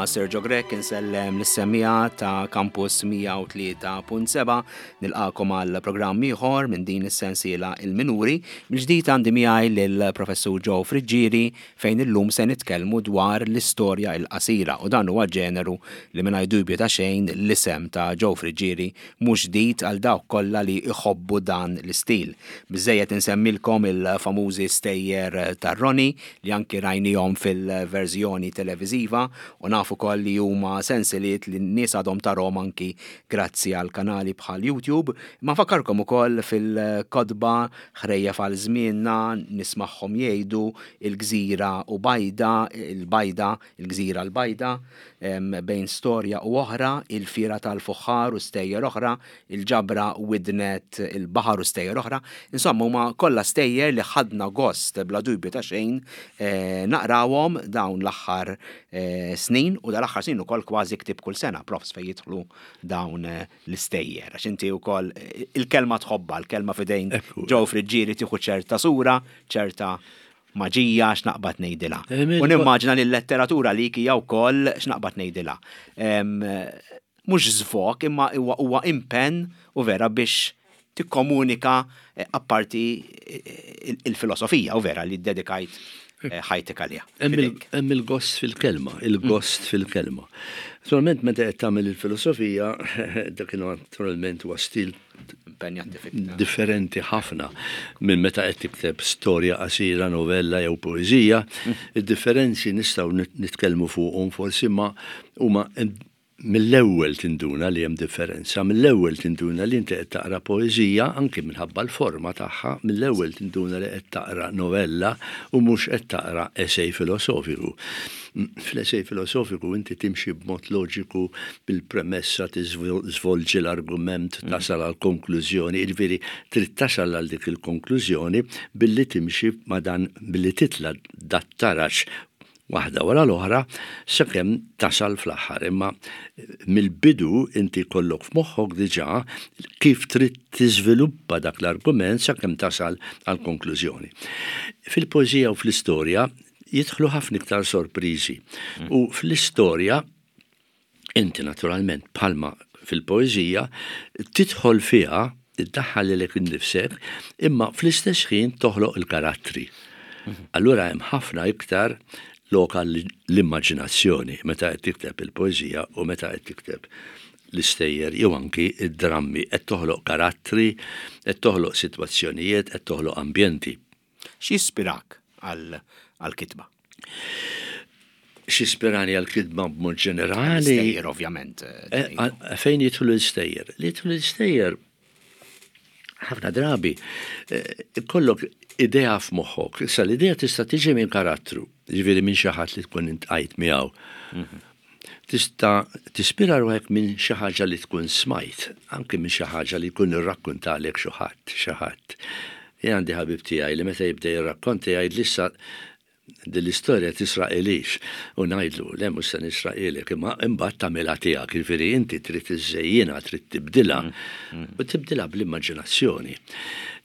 Jiena Sergio Grech insellem lis-semmiegħa ta' Campus 103.7 nilqakom għal programm ieħor minn din is-sensiela Il-Minuri. Mill-ġdid għandi miegħi lill-Professur Joe Friggieri fejn illum se nitkellmu dwar l-istorja il-qasira u dan huwa ġeneru li mingħajr dubju ta' xejn l-isem ta' Joe Friggieri mhux ġdid għal dawk kollha li jħobbu dan l-istil. Biżżejjed insemmilkom il-famużi stejjer ta' Ronnie li anki rajnihom fil-verżjoni televiżiva u naf ukoll li huma sensiliet li n-nies għadhom tarhom anki grazzi għal kanali bħal YouTube. Imma nfakkarkom ukoll fil-kotba Ħrejjef għal Żmienna, Nismagħhom Jgħidu, Il-Gżira u Bajda, Il-Bajda, Il-Gżira l-Bajda, Bejn Storja u Oħra, Il-Fiera tal-Fuħħar u Stejjer Oħra, Il-Ġabra Widnet il-Baħar u Stejjer Oħra. Insomma, huma kollha stejjer li ħadna gost bla dubju ta' xejn naqrawhom dawn l-aħħar snin u dal-aħħar snin ukoll kważi ktieb kull sena, profs fejn jidħlu dawn l-istejjer. Għax inti wkoll il-kelma tħobbha, l-kelma f'idejn Joe Friggieri tieħu ċerta sura, ċerta maġija x'naqbad ngħidilha. U nimmaġina li l-letteratura għalik hija wkoll x'naqbad ngħidilha. Mhux żvog imma huwa impenn u vera biex tikkomunika eh, apparti eh, il-filosofija u vera li ddedikajt eh, ħajtek għaliha. Hemm il-gost fil-kelma, il-gost fil-kelma. Naturalment meta qed tagħmel il-filosofija, dak naturalment huwa stil Differenti ħafna minn meta qed tikteb storja qasira, novella jew poeżija. Id-differenzi nistgħu nitkellmu fuqhom forsi ma huma mill-ewwel tinduna li hemm differenza, mill-ewwel tinduna li inti qed taqra poeżija anki minħabba l-forma tagħha, mill-ewwel tinduna li qed taqra novella u mhux qed taqra esej filosofiku. Fl-esej filosofiku inti timxi b'mod loġiku bil-premessa tiżvolġi l-argument tasal għal konklużjoni, jiġifieri trid tasal għal dik il-konklużjoni billi timxi ma' dan billi titla' dat-taraġ waħda wara l-oħra sakemm tasal fl-aħħar. Imma mill-bidu inti jkollok f'moħħok diġà kif trid tiżviluppa dak l-argument sakemm tasal għall-konklużjoni. Fil-poeżija u fl-istorja jidħlu ħafna iktar sorpriżi. Mm. U fl-istorja, inti naturalment bħalma fil-poeżija, tidħol fiha, iddaħħal lilek innifsek, imma fl-istess ħin toħloq il-karattri. Mhm. Allura hemm ħafna iktar loka l-immaġinazzjoni meta qed tikteb il-poeżija u meta qed tikteb l-istejjer jew anki id-drammi qed toħloq karattri, qed toħloq sitwazzjonijiet, qed toħloq ambjenti. X'jispirak għall-kitba? X'ispirani għall-kitba b'mod ġenerali? Stejjer, ovvjament. Eh, eh, fejn jidħlu l-istejjer? Li jidħlu l-istejjer ħafna drabi eh, kollok idea f'moħħok. Issa l-idea tista' tiġi minn karattru, ġifieri minn xi ħadd li tkun intqajt miegħu. Mhm. Tista' tispira ruħek minn xi ħaġa li tkun smajt, anki minn xi ħaġa li jkun irrakkuntalek xi ħadd, xi ħadd. Jien għandi ħabib tiegħi li meta jibda jirrakkonta jgħidli issa din l-istorja tisraqilix u ngħidlu le mhux se nisraqilek imma imbagħad tagħmilha tiegħek, jiġifieri inti trid iżżejjinha, trid tibdilha u tibdilha bl-immaġinazzjoni.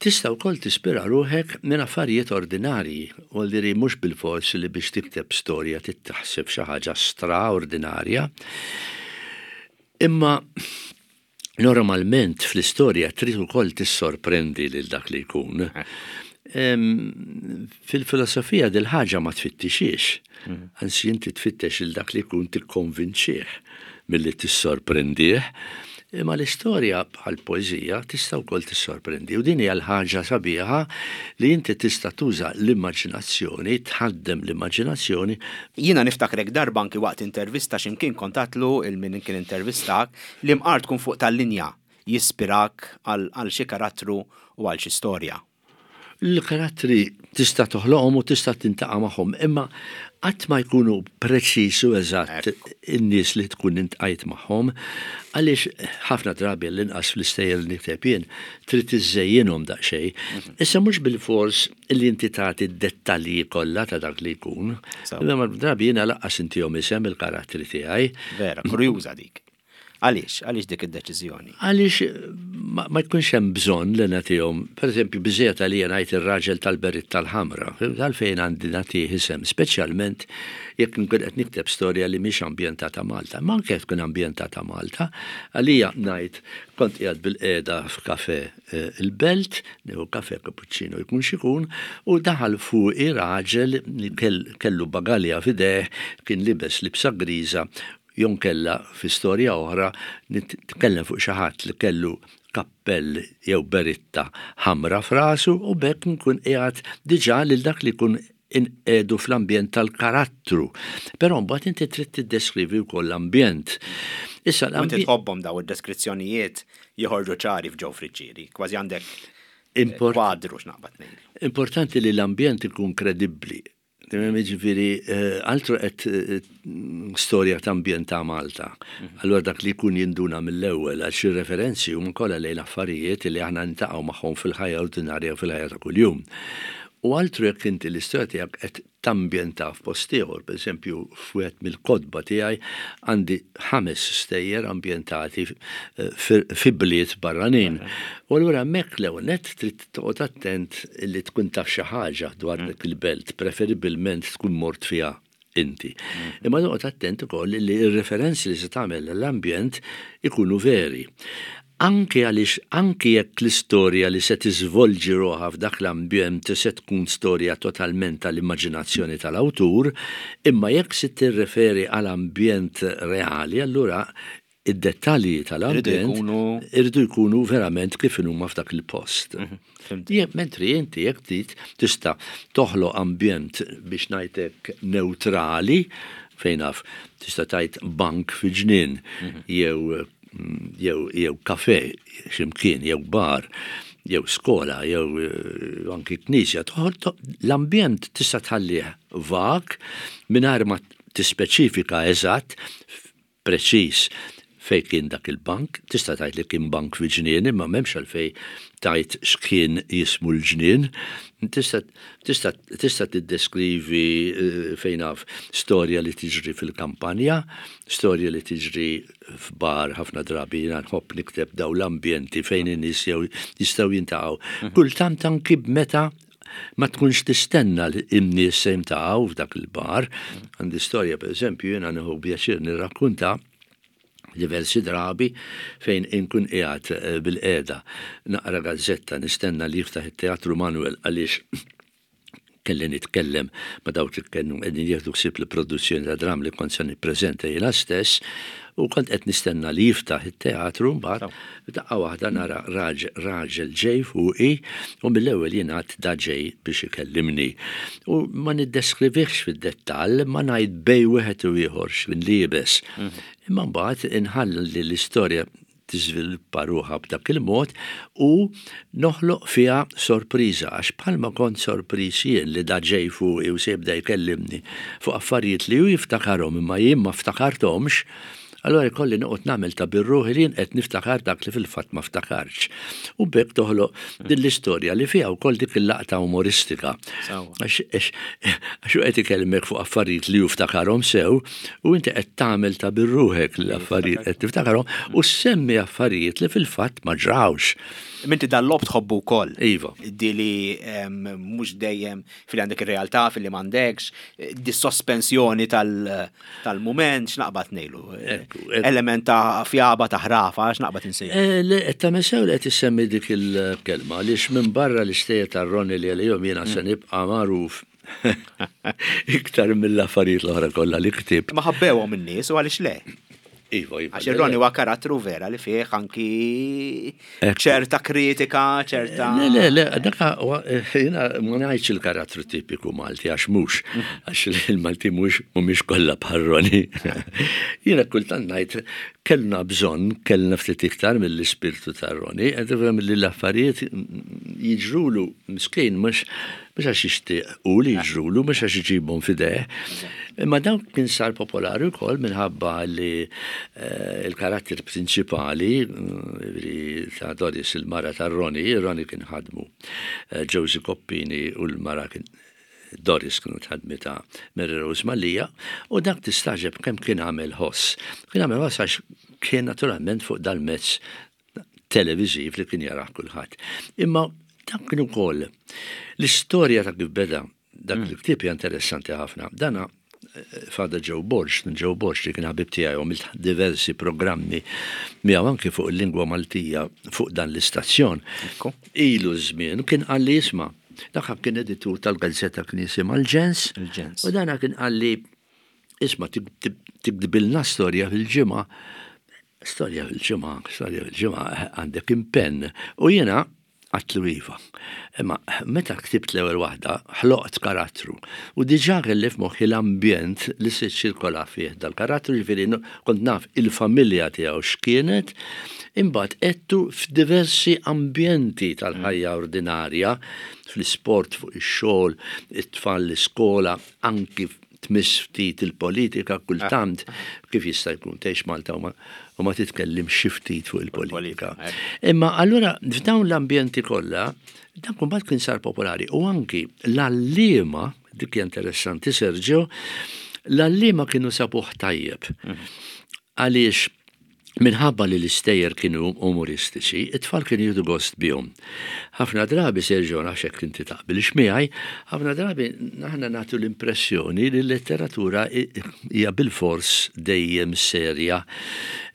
Tista' wkoll tispira ruħek minn affarijiet ordinarji. Vuol dire mhux bilfors li biex tikteb storja trid taħseb xi ħaġa straordinarja. Imma normalment fl-istorja trid ukoll tissorprendi lil dak li jkun. Fil-filosofija dil-ħaġa ma tfittixiex. Mm. Anzi inti tfittex lil dak li jkun tikkonvinċih milli tissorprendih. Imma l-istorja bħal poeżija tista' wkoll tissorprendi u din hija l-ħaġa sabiħa li inti tista' tuża l-immaġinazzjoni, tħaddem l-immaġinazzjoni. Jiena niftakrek darba anki waqt intervista xi mkien kont għedtlu 'l min kien intervistak li mqar tkun fuq tal-linja jispirak għal xi karattru u għal xi storja. L-karattri tista' toħloqhom u tista' tintaqa' magħhom, imma qatt ma jkunu preċiż u eżatt in-nies li tkun intqajt magħhom, għaliex ħafna drabi għall-inqas fl-istejjer li nikteb jien, trid iżżejjinhom daqsxejn. Issa mhux bilfors li inti tagħti d-dettalji kollha ta' dak li jkun. Imma drabi jiena lanqas intihom isem il-karattri tiegħi. Vera, kurjuża dik. Għaliex? Għaliex dik id-deċiżjoni? Għaliex ma jkunx hemm bżonn li nagħtihom, pereżempju biżejjed għalija ngħid ir-raġel tal-beritta l-ħamra, għalfejn għandi nagħtih isem, speċjalment jekk nkun qed nikteb storja li mhix ambjentata Malta. Ma anke tkun ambjentata Malta, għalija ngħid kont qiegħed bilqiegħda f'kafè eh, il-Belt, nieħu kafè cappuccino jkun x'ikun, u daħal fuqi raġel li kellu bagalja f'idejh, kien libes libsa griża Jonkella fi storja oħra nitkellem fuq xi ħadd li kellu kappell jew beritta ħamra f'rasu u b'hekk nkun qiegħed diġà lil dak li jkun inqiegħdu fl-ambjent tal-karattru. Però mbagħad inti trid tiddeskrivi wkoll l-ambjent. Issa l-ambjent. Inti tħobbhom daw id-deskrizzjonijiet joħorġu ċari f'Joe Friggieri, kważi għandek kwadru x'naqbad ngħid. Importanti li l-ambjent ikun kredibbli. Jiġifieri eh, altru qed eh, storja ta' ambjent ta' Malta. Mhm. Allura dak li jkun jinduna mill-ewwel għax ir-referenzi huma kollha lejn affarijiet li aħna ntaqgħu magħhom fil-ħajja ordinarja u fil-ħajja ta' kuljum. U altru jekk inti l-istorja tiegħek qed tambjenta f'post ieħor, pereżempju f'wieħed mill-kotba tiegħi għandi ħames stejjer ambjentati eh, fi bliet barranin. U allura hemmhekk l-ewwel nett trid Toqgħod attent li tkun taf xi ħaġa dwar mm. dik il-belt, preferibilment tkun mort fiha inti. Mm. Imma toqgħod attent ukoll li r-referenzi li se tagħmel l-ambjent ikunu veri. Anki għaliex anki jekk l-istorja li se tiżvolġi ruħha f'dak l-ambjent se tkun storja totalment tal-immaġinazzjoni tal-awtur, imma jekk se tirreferi għal ambjent reali, allura id-dettalji tal-ambjent irridu jkunu verament kif huma f'dak il-post. Mhm, mentri inti jekk trid tista' toħloq ambjent biex ngħidlek neutrali fejn naf tista' tgħid bank fi ġnien mhm. jew jew jew kafe x'imkien jew bar jew skola jew eh, anki knisja l-ambjent tista' tħallih vag mingħajr ma tispeċifika eżatt preċiż fejn kien dak il-bank, tista' tgħid li kien bank fi ġnien imma m'hemmx għalfejn tgħid x'kien jismu l-ġnien. Tista' tista' tista' tiddeskrivi eh, fejn naf storja li tiġri fil-kampanja, storja li tiġri f'bar ħafna drabi jiena nħobb nikteb daw l-ambjenti fejn in-nies jew jistgħu jintaqgħu. Mhm. Kultant anki meta Ma tkunx tistenna li n-nies se jintaqgħu f'dak il-bar. Għandi storja pereżempju jiena nieħu pjaċir nirrakkunta diversi drabi fejn inkun qiegħed eh, bil-qiegħda naqra gazzetta nistenna li jiftaħ it-Teatru Manuel għaliex kelli nitkellem ma dawk li kienu qegħdin jieħdu ħsieb l-produzzjoni ta' dram li kont se nippreżenta jiena stess u kont qed nistenna li jiftaħ it-teatru mbagħad F'daqqa waħda nara raġel ġej fuqi u mill-ewwel jien għedt da ġej biex ikellimni. U ma niddeskrivihx fid-dettall imma ngħid bejn wieħed u ieħor x'kien liebes. Imma mbagħad inħalli l-istorja tiżviluppa ruħha b'dak il-mod u noħloq fiha sorpriża għax bħalma kont sorpriż jien li da ġej fuqi u se jibda jkellimni fuq affarijiet li hu jiftakarhom imma jien ma ftakarthomx, Allura jkolli noqgħod nagħmel ta' bir-ruħi li jien qed niftakar dak li fil-fatt ma ftakartx. U b'hekk toħloq din l-istorja li fiha wkoll dik il-laqta umoristika. Għax hu qed ikellmek fuq affarijiet li hu ftakarhom sew u inti qed tagħmel ta' bir-ruħek li l-affarijiet qed tiftakarhom u ssemmi affarijiet li fil-fatt ma ġrawx. Minti dal-lob tħobbu wkoll. Iva. Di li mhux dejjem fil għandek ir-realtà, fil-li m'għandekx, di sospensjoni tal-mument, x'naqbad ngħidu. Element ta' fjaba ta' ħrafa, x'naqbad insejħu. Eh, le, qed tagħmel sew li qed issemmi dik il-kelma għaliex minn barra l-istejjer tar-Ronnie li għalihom jiena se mm. nibqa' magħruf iktar mill-affarijiet l-oħra kollha li ktibt. Ma ħabbewhom in-nies u għaliex le? Iva, iva. Għax ir-Ronnie huwa karattru vera li fih anki ċerta kritika, ċerta. Le, le, le, dak jiena ma ngħidx il-karattru tipiku Malti għax mhux, għax il-Malti mhux mhumiex kollha bħal Ronnie. Jiena kultant ngħid kellna bżonn, kellna ftit iktar mill-ispirtu ta' Ronnie, qed tifhem li l-affarijiet jiġrulu miskin mhux mhux għax jixtieq hu li jiġrulu, mhux għax iġibhom f'idejh. Imma dan kien sar popolari wkoll minħabba li eh, il-karatter prinċipali eh, ta' Doris il-mara ta' Roni, Roni kien ħadmu eh, Josie Coppini u l-mara kien Doris kienu tħadmita Mary Rose Mallia, u dak tistaġeb kemm kien għamel ħoss. Kien għamel ħoss għax kien naturalment fuq dal-mezz televiżiv li kien jarah kulħadd. Imma dak kien ukoll l-istorja ta' kif beda dak il-ktieb hija interessanti ħafna. Dana eh, Father Joe Borg, Joe Borg li kien ħabib tiegħi għamilt diversi programmi miegħu anke fuq il-lingwa Maltija fuq dan l-istazzjon. Ilu żmien kien qalli isma' dak kien editur tal-gazzetta kien jisimha l-Ġens. Il-Ġens. U dana kien qalli isma' tikdbilna storja fil-ġimgħa Storja fil-ġimgħa, storja fil-ġimgħa, għandek impenn. U jiena għatlu iva. Imma meta ktibt l-ewwel waħda, ħloqt karattru. U diġà kelli f'moħħi l-ambjent li se ċirkola fih dal-karattru, ġifieri kont naf il-familja tiegħu x'kienet, imbagħad għedtu f'diversi ambjenti tal-ħajja ordinarja, fl-isport, fuq ix-xogħol, it-tfal l-iskola, anki tmiss ftit il-politika kultant, kif jista' jkun tgħix Malta u ma titkellimx xi ftit fuq il-politika. Imma allura f'dawn l-ambjenti kollha, dak imbagħad kien sar popolari u anki l-għalliema, dik hija interessanti Sergio, l-għalliema kienu sabuh tajjeb. Għaliex minħabba li l-istejjer kienu umoristiċi, it-tfal kienu jieħdu gost bihom. Ħafna drabi, Sergio, nafx hekk inti taqbilx miegħi, ħafna drabi aħna nagħtu l-impressjoni li l-letteratura hija bilfors dejjem serja,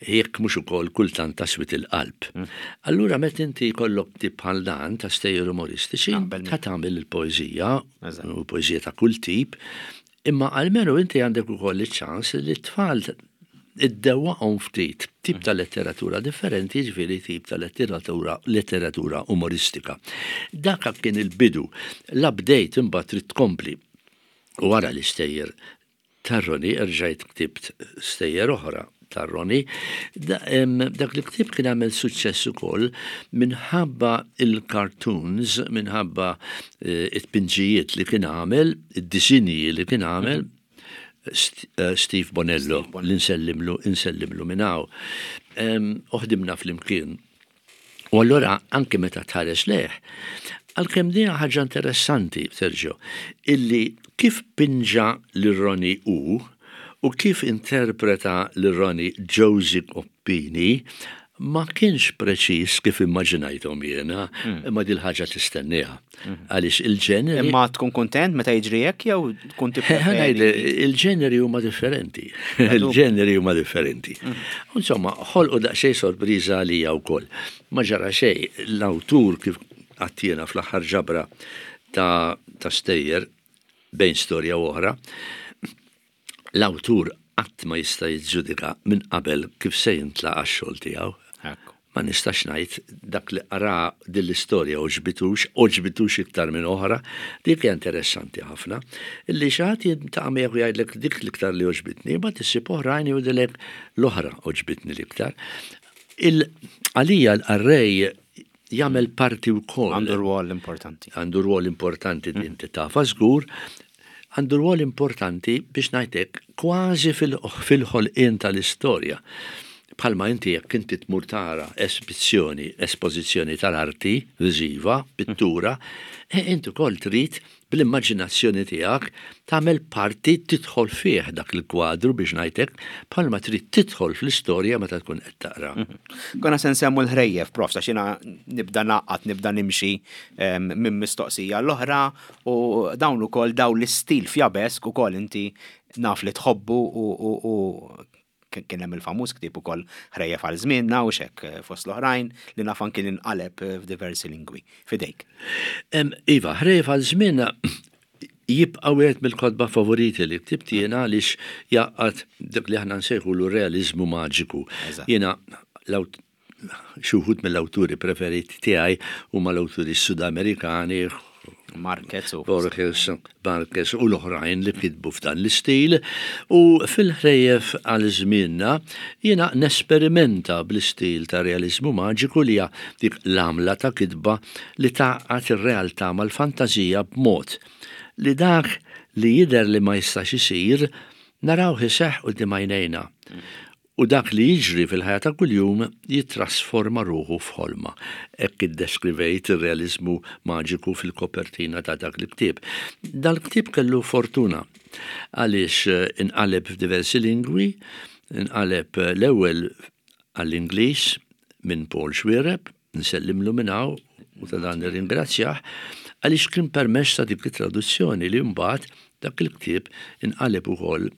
jekk mhux ukoll kultant ta' swied il-qalb. Allura meta inti jkollok ktieb bħal dan ta' stejjer umoristiċi, ta' tagħmel il-poeżija, u poeżija ta' kull tip, Imma almenu inti għandek ukoll iċ-ċans li t-tfal iddewwaqhom ftit tip ta' letteratura differenti, jiġifieri tip ta' letteratura letteratura umoristika. Dak kien il-bidu. L-update imbagħad trid tkompli. U wara l-istejjer tar-Roni erġajt ktibt stejjer oħra tar-Roni. Dak il-ktieb kien għamel suċċess ukoll minħabba il-cartoons, minħabba eh, it-pinġijiet li kien għamel, id-disinji li kien għamel eh, Steve Bonello, li nsellimlu, nsellimlu minn hawn. Uħdimna flimkien U allura anke meta tħares lejh, għalkemm din ħaġa interessanti, Sergio, illi kif pinġa lil Ronnie hu u kif interpreta lil Ronnie Josie Coppini ma kienx preċiż kif immaġinajthom jiena, imma dil-ħaġa tistenniha. Għaliex il-ġeneri. Imma tkun kuntent meta jiġri hekk jew tkun tippreferi? Il-ġeneri huma differenti. Il-ġeneri huma differenti. Mm. Insomma, ħolqu daqsxejn sorpriża għalija wkoll. Ma ġara xejn, l-awtur kif għattiena fl-aħħar ġabra ta' ta' stejjer bejn storja u oħra, L-awtur qatt ma jista' jiġġudika minn qabel kif se jintlaqa' x-xogħol tiegħu. Ma nistax ngħid dak li qra din l-istorja għoġbitux, għoġbitux iktar minn oħra. Dik hija interessanti ħafna. Illi xi ħadd jiltaqa' miegħek u jgħidlek dik l-iktar li għoġbitni, imbagħad issib oħrajn jgħidulek l-oħra għoġbitni l-iktar. Għalija l-qarrej jagħmel parti wkoll. Għandu rwol importanti. Għandu rwol importanti din titafa żgur. Għandu rwol importanti biex ngħidlek kważi fil-ħolqien tal-istorja. Bħalma inti jekk inti tmur tara esibizzjoni, espożizzjoni tal-arti viżiva, pittura, eh, inti ukoll trid bl-immaġinazzjoni tiegħek tagħmel parti tidħol fih dak il-kwadru biex ngħid hekk, bħalma trid tidħol fl-istorja meta tkun qed taqra. Mhm. Konna se nsemmu l-ħrejjef, prof, għax jiena nibda naqgħad, nibda nimxi ehm, minn mistoqsija l-oħra u dawn ukoll dawn l-istil fjabesk ukoll inti naf li tħobbu u Kien hemm il-famuż ktieb ukoll Ħrejjef għal Żmienna u x'hekk eh, fost l-oħrajn li naf anki li nqaleb eh, f'diversi lingwi. Fidejk. Iva, Ħrejjef għal Żmienna jibqa' wieħed mill-kotba favoriti li ktibt jiena għaliex jgħaqqad dak li aħna nsejħulu realiżmu maġiku. Jiena Xi wħud mill-awturi preferiti tiegħi huma l-awturi Sudamerikani, Marquez u Borges, Marquez u l-oħrajn li kitbu f'dan l-istil u fil-ħrejjef għal żmienna jiena nesperimenta bl-istil ta' realiżmu maġiku li hija dik l-għamla ta' kitba li tgħaqqad ir-realtà mal-fantażija b'mod li dak li jidher li ma jistax isir narawh iseħħ quddiem għajnejna. U dak li jiġri fil-ħajja ta' kuljum jittrasforma ruħu f'ħolma. Hekk iddeskrivejt ir-realiżmu maġiku fil-kopertina ta' dak il-ktieb. Dal-ktieb kellu fortuna għaliex inqaleb f'diversi lingwi, inqaleb l-ewwel għall-Ingliż minn Paul Xuereb, nsellimlu minn hawn u ta' dan nirringrazzjah, għaliex kien permezz ta' dik it-traduzzjoni li mbagħad dak il-ktieb inqaleb ukoll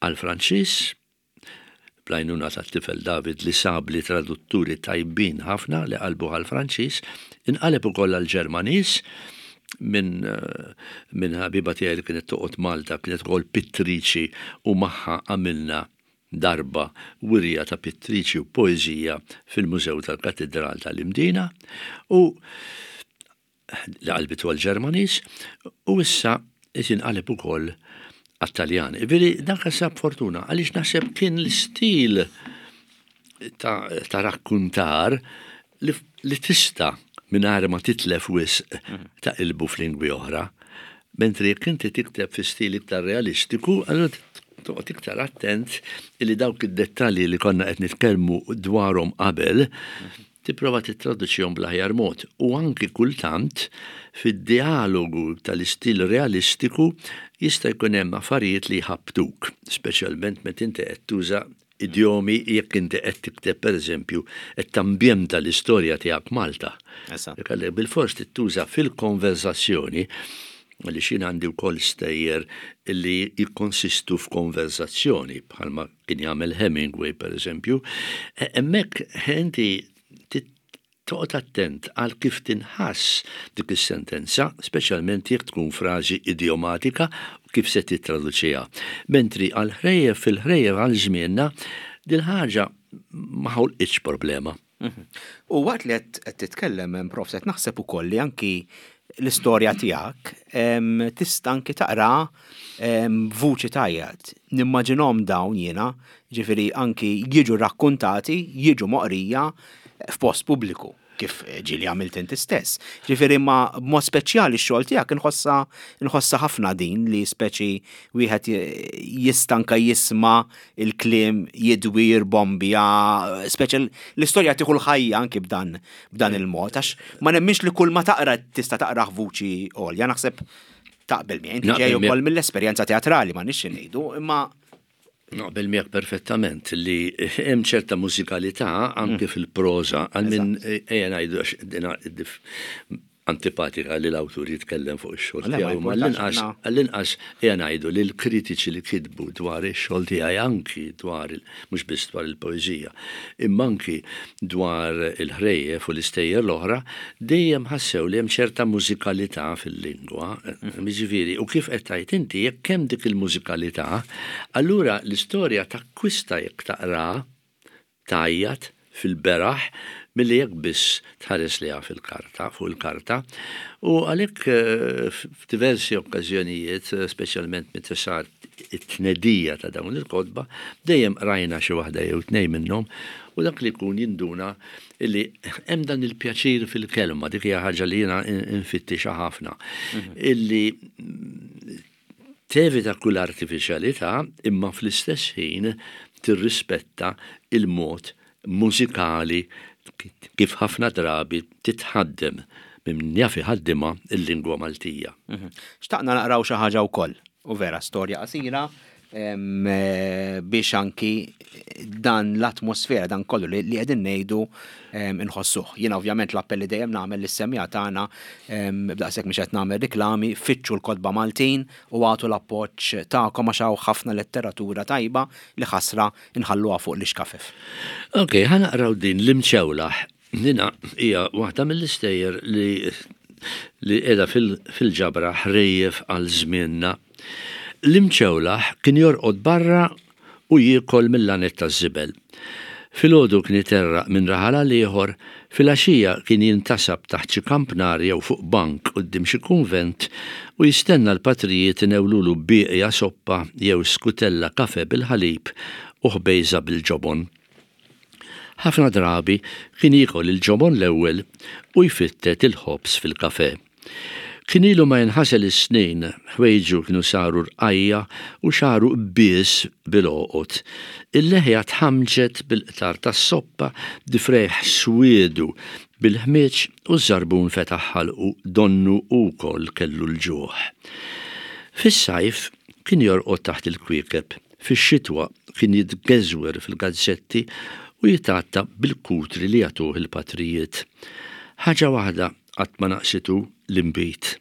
Għall-Franċiż, bl-għajnuna tat-tifel David li sabli tradutturi tajbin ħafna li qalbuh għall-Franċiż, inqaleb ukoll għall-Ġermaniż minn minn ħabiba tiegħi li kienet toqgħod Malta, kienet ukoll pittriċi u magħha għamilna darba wirja ta' pittriċi u poeżija fil-Mużew tal-Katidral tal-Imdina u li qalbitu għall-Ġermaniż u issa qed jinqaleb ukoll għat-Taljan. Iviri dak sab fortuna għaliex naħseb kien l-istil ta', ta rakkuntar li, li tista' mingħajr ma titlef wisq mhm. ta' ilbu f'lingwi oħra. Mentri jekk inti tikteb fi stil iktar realistiku, allura toqgħod iktar attent li dawk id-dettalji li konna qed nitkellmu dwarhom qabel mhm. Tipprova tittraduċihom bl-aħjar mod u anki kultant fid-djalogu tal-istil realistiku jista' jkun hemm affarijiet li jħabbtuk, speċjalment meta inti qed tuża idjomi jekk inti qed tikteb pereżempju qed tambjenta l-istorja tiegħek Malta. Għalhekk bilfors trid tuża fil-konverżazzjoni għaliex jien għandi wkoll stejjer li jikkonsistu f'konverżazzjoni bħalma kien jagħmel Hemingway pereżempju, e, hemmhekk inti toqgħod attent għal kif tinħass dik is-sentenza, speċjalment jekk tkun frażi idjomatika u kif se tittraduċiha. Mentri għal ħrejjef fil-ħrejjef għal żmienna dil-ħaġa ma ħolqitx problema. Mhm. U waqt li qed titkellem prof qed naħseb ukoll li anki l-istorja tiegħek tista' anki taqra b'vuċi tajjat. Nimmaġinhom dawn jiena, ġifieri anki jiġu rakkuntati, jiġu moqrija f'post pubbliku kif ġieli għamilt inti stess. Ġifieri ma b'mod speċjali x-xogħol tiegħek inħossa inħossa ħafna din li speċi wieħed jista' anke jisma' il-kliem jidwi jirbombja, speċi l-istorja tieħu l-ħajja anki b'dan b'dan il-mod, għax ma nemminx li kull ma taqra tista' taqrah vuċi għolja, naħseb taqbel miegħi, inti ġej ukoll mill-esperjenza teatrali ma nixxi ngħidu, imma Naqbel miegħek perfettament li hemm ċerta mużikalità anke mm. fil-proża għal min ejja ngħidu għax antipatika li l-awtur jitkellem fuq ix-xogħol tiegħu, imma għall-inqas għall-inqas ejja ngħidu li l-kritiċi li kitbu dwar ix-xogħol tiegħi anki dwar mhux biss dwar il-poeżija, imma anki dwar il-ħrejjef u l-istejjer l-oħra, dejjem ħassew li hemm ċerta mużikalità fil-lingwa, jiġifieri, u kif qed tgħid inti, jekk hemm dik il-mużikalità, allura l-istorja takkwista jekk taqraha tgħajjat fil-beraħ milli jekk biss tħares lejha fil-karta, fuq il-karta. U għalhekk f'diversi okkażjonijiet, speċjalment meta sar it-tnedija ta' dawn il-kotba, dejjem qrajna xi waħda jew tnejn minnhom u dak li jkun jinduna li hemm dan il-pjaċir fil-kelma, dik hija ħaġa li jiena nfittixha ħafna, illi tevita kull artifiċjalità imma fl-istess ħin tirrispetta il-mod mużikali kif ħafna drabi titħaddem minn min jaf iħaddimha l-lingwa Maltija. Mhm. Xtaqna naqraw xi ħaġa wkoll, u vera storja qasira biex anki dan l-atmosfera, dan kollu li qegħdin ngħidu inħossuh. Jiena ovvjament l-appell li dejjem nagħmel lis-semmiegħa tagħna b'daqshekk mhux qed nagħmel riklami, fittxu l-kotba Maltin u agħtu l-appoġġ tagħkom għax hawn ħafna letteratura tajba li ħasra nħalluha fuq l-ixkafef. Ok, ħa naqraw din l-imċewlaħ. Dina hija waħda mill-istejjer li li qiegħda fil-ġabra Ħrejjef għal Żmienna. L-imċewlaħ kien jorqod barra u jiekol mill-laned taż-żibel. Filgħodu kien iterraq minn raħal għal ieħor, filgħaxija kien jintasab taħt xi kampnar jew fuq bank quddiem xi kunvent u jistenna l-patrijiet inewlulu bieqja soppa jew skutella kafè bil-ħalib u ħbejża bil-ġobon. Ħafna drabi kien jiekol il-ġobon l-ewwel u jfittet il-ħobż fil-kafè. Kien ilu ma jinħasel is-snin, ħwejġu kienu saru rqajja' u xagħru qbies bil-għoqod. Il-leħja tħammġet bil-qtar tas-soppa, difrejh swiedu bil-ħmieġ u ż-żarbun fetaħ ħalqu donnu hu wkoll kellu l-ġuħ. Fis-sajf kien jorqod taħt il-kwiekeb, fix-xitwa kien jitgeżwer fil-gazzetti u jitgħatta bil-kutri li jagħtuh il-patrijiet. Ħaġa waħda qatt ma naqsitu, l-inbid.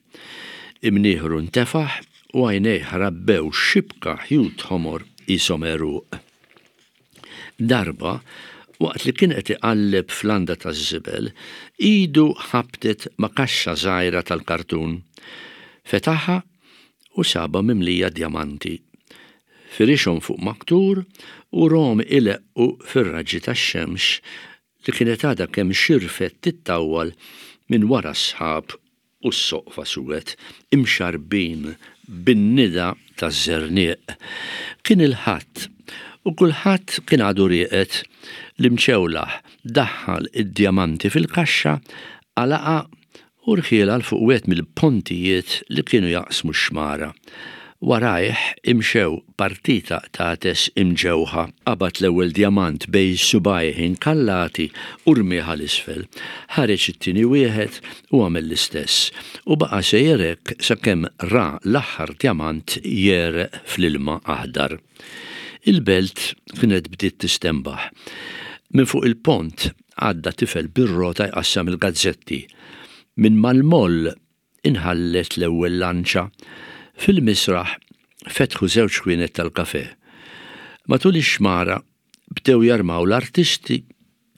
Imnieħru ntefaħ u għajnejh rabbew xibka ħjut ħomor qishom għeruq. Darba, waqt li kien qed iqalleb f'landa taż-żibel, idu ħabtet ma' kaxxa żgħira tal-kartun. Fetaħha u sabha mimlija djamanti. Firixhom fuq maktur u rahom ileqqu fir-raġġi tax-xemx li kienet għadha kemm xirfet tittawwal minn wara s-sħab u s-soqfa suwed, imxarrbin bin-nida taż-żerniq. Kien il-Ħadd, u kulħadd kien għadu rieqed. L-imċewlaħ daħħal id-djamanti fil-kaxxa, għalaqha u rħielha 'l fuq wieħed mill-pontijiet li kienu jaqsmu x-xmara. Warajh imxew partita qtates imġewħa. Qabad l-ewwel djamant bejn subgħajh inkallati u rmieh għal isfel. Ħareġ it-tieni wieħed u għamel l-istess. U baqa' sejjer hekk sakemm ra l-aħħar djamant jegħreq fl-ilma aħdar. Il-belt kienet bdiet tistenbaħ. Minn fuq il-pont għadda tifel bir-rota jqassam il-gazzetti. Minn mal-moll Inħallet l-ewwel lanċa. Fil-misraħ fetħu żewġ ħwienet tal-kafè. Matul ix-xmara bdew jarmaw l-artisti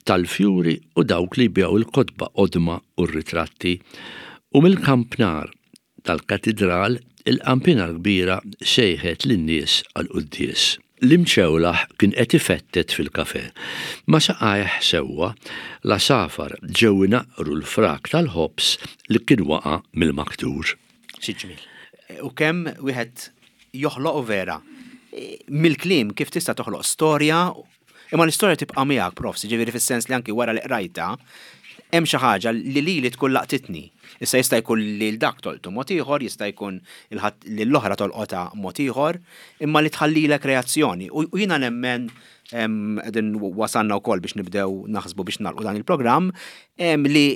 tal-fjuri u dawk li jbigħu l-kotba qodma u r-ritratti. U mill-kampnar tal-katidral il-qanpiena l-kbira sejħet lin-nies għall-quddies. L-imċewlaħ kien qed ifettet fil-kafè. Ma' saqajh sewwa, l-għasafar ġew inaqqru l-frak tal-ħobż li kien waqa' mill-maktur. Xi ġmiel. U kemm wieħed joħloq u vera. Mill-kliem kif tista' toħloq storja, imma l-istorja tibqa' miegħek, Profs, jiġifieri fis-sens li anki wara li qrajtha, hemm xi ħaġa li lili tkun laqtitni. Issa jista' jkun lil dak tolqtu mod ieħor, jista' jkun lil oħra tolqotha mod ieħor, imma li tħallilek reazzjoni. U jiena nemmen qegħdin wasalna wkoll biex nibdew naħsbu biex nagħlqu dan il-programm, li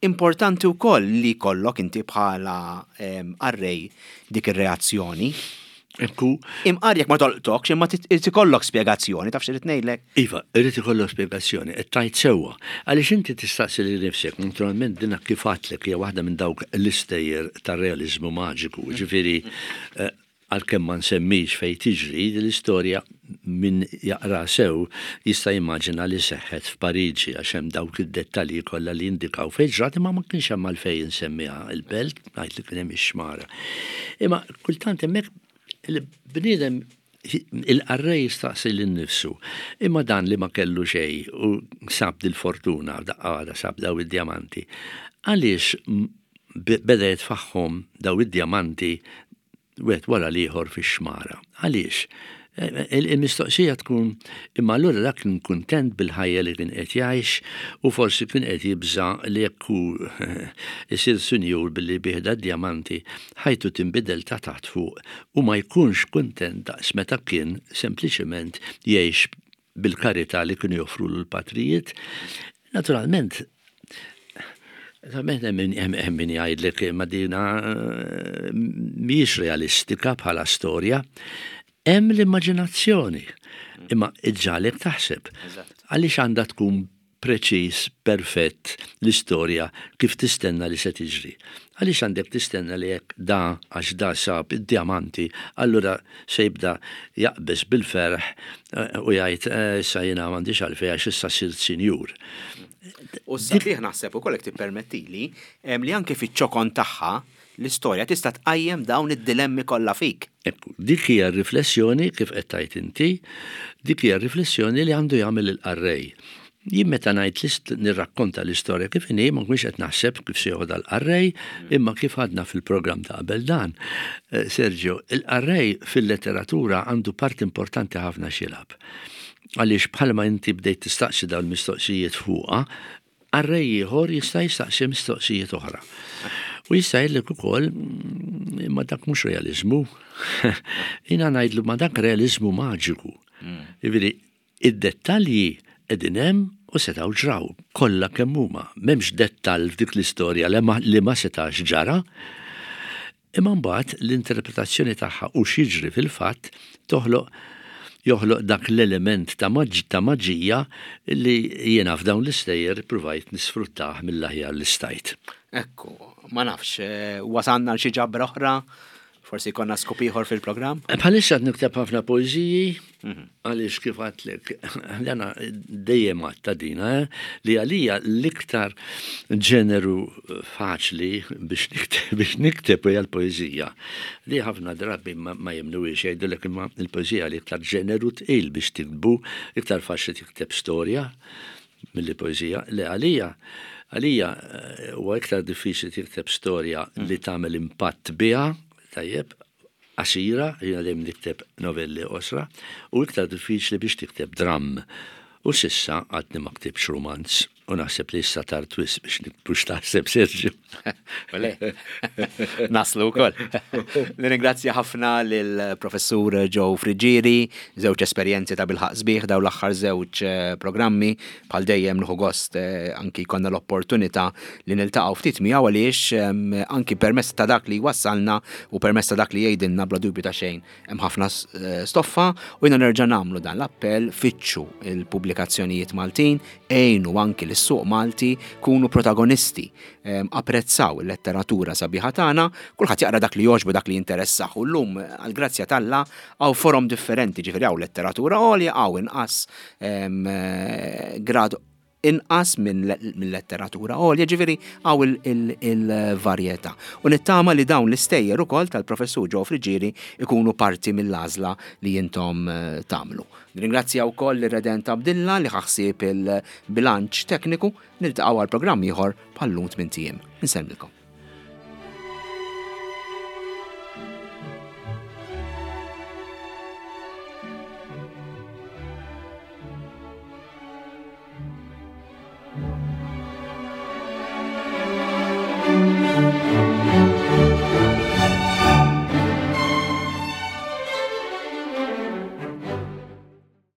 importanti wkoll li jkollok inti bħala qarrej dik ir-reazzjoni. Ekku. Imqar jekk ma tolqtokx, imma irid ikollok spjegazzjoni, taf x'irid ngħidlek? Iva, irid ikollok spjegazzjoni, qed tgħid sewwa. Għaliex inti tistaqsi lil nifsek, naturalment dinha kif għadtlek hija waħda minn dawk l-istejjer tar-realiżmu maġiku, jiġifieri eh, għalkemm ma nsemmix fejn tiġri din l-istorja min jaqra sew jista' jimmaġina li seħħet f'Pariġi għax hemm dawk id-dettalji kollha li jindikaw fejn ġrat imma ma kienx hemm għalfejn insemmiha il-belt, ngħid li kien hemm ix-xmara. Imma kultant hemmhekk il-bniedem il-qarrej jistaqsi lil nifsu, imma dan li ma kellu xejn u sab dil-fortuna daqqa waħda sab daw id-djamanti, għaliex beda jitfagħhom daw id-djamanti wieħed wara l-ieħor fix-xmara. Għaliex? Il-mistoqsija tkun imma allura dak kien kuntent bil-ħajja li kien qed jgħix u forsi kien qed jibża' li jekk hu isir sinjur billi jbigħ dad-djamanti, ħajtu tinbidel ta' taħt fuq u ma jkunx kuntent daqs meta kien sempliċement jgħix bil-karità li kienu joffrulu l-patrijiet. Naturalment, naturalment hemm min jgħidlek ma dina eh, mhijiex realistika bħala storja. Hemm l-immaġinazzjoni, imma iġġalek taħseb. Għaliex għandha tkun preċiż, perfett l-istorja kif tistenna li se tiġri. Għaliex għandek tistenna li jekk da għax da sab id-djamanti, allura se jibda jaqbeż bil-ferħ eh, u jgħid eh, issa jiena m'għandix għalfejn għax issa sirt sinjur. U sabiħ naħseb ukoll jekk tippermettili li anke fiċ-ċokon tagħha l-istorja tista' tqajjem dawn id-dilemmi kollha fik. Ekku, dik hija r-riflessjoni kif qed tgħid inti, dik hija r-riflessjoni li għandu jagħmel il-qarrej. Jien meta ngħid nirrakkonta l-istorja kif inhi ma nkunx qed naħseb kif se joħodha l-qarrej, imma kif għadna fil-programm ta' qabel dan. Eh, Sergio, il-qarrej fil-letteratura għandu parti importanti ħafna x'jilgħab. Għaliex bħalma inti bdejt tistaqsi dawn il-mistoqsijiet fuqha, Qarrej ieħor jista' jistaqsi mistoqsijiet oħra. U jista' jgħidlek ukoll mm, imma dak mhux realiżmu. Jiena ngħidlu ma dak realiżmu maġiku. Mm. Jiġifieri id-dettalji qegħdin hemm u setgħu ġraw kollha kemm huma. M'hemmx dettall f'dik l-istorja li ma setax ġara. Imma mbagħad l-interpretazzjoni tagħha u x'jiġri fil-fatt toħloq joħloq dak l-element ta' ta' maġija li jiena f'dawn l-istejjer ippruvajt nisfruttah mill-aħjar li stajt. Ekku, ma nafx, eh, wasalna għal xi ġabra oħra Forsi jkollna skup ieħor fil-programm? Bħalissa qed nikteb ħafna poeżiji mhm. għaliex kif għadtlek jana dejjem għadta dina eh, li għalija l-iktar ġeneru faċli biex nikteb biex nikteb hija l-poeżija. Li ħafna drabi ma jemnuhiex jgħidulek imma l-poeżija li iktar ġeneru tqil biex tiktbu, iktar faċli tikteb storja milli poeżija. Le għalija, għalija eh, huwa iktar diffiċli tikteb storja li mm. tagħmel impatt biha, tajjeb, qasira, jiena dejjem nikteb novelli qosra, u iktar diffiċli biex tikteb dramm. U sissa għadni ma ktibx romanz u naħseb li issa tard wisq biex niktbu x'taħseb Sergio. Ole, naslu wkoll. Nirringrazzja ħafna lill-Professur Joe Friggieri, żewġ esperjenzi ta' bilħaq sbieħ dawn l-aħħar żewġ eh, programmi. Bħal dejjem nieħu gost eh, anki jkollna l-opportunità li niltaqgħu ftit miegħu għaliex ehm, anki permezz ta' dak li wassalna u permezz ta' dak li jgħidilna bla dubju ta' xejn hemm ħafna eh, stoffa u jiena nerġa' nagħmlu dan l-appell fittxu il-pubblikazzjonijiet Maltin, għinu anki lis-suq Malti kunu protagonisti, ehm, apprezzaw il-letteratura sabiħa tagħna, kulħadd jaqra dak li jogħġbu dak li jinteressah u llum għall-grazzja t'Alla hawn forom differenti, ġifieri hawn letteratura għolja hawn inqas ehm, eh, grad inqas minn letteratura għolja, ġifieri hawn il-varjetà. U nittama li dawn l-istejjer ukoll tal-Professur Joe Friggieri ikunu parti mill-għażla li intom eh, tagħmlu. Nirringrazzja wkoll lir-Redent Abdilla li ħa ħsieb il-bilanċ tekniku, niltaqgħu għal programm ieħor bħal-lum tmint ijiem. Insellmilkom.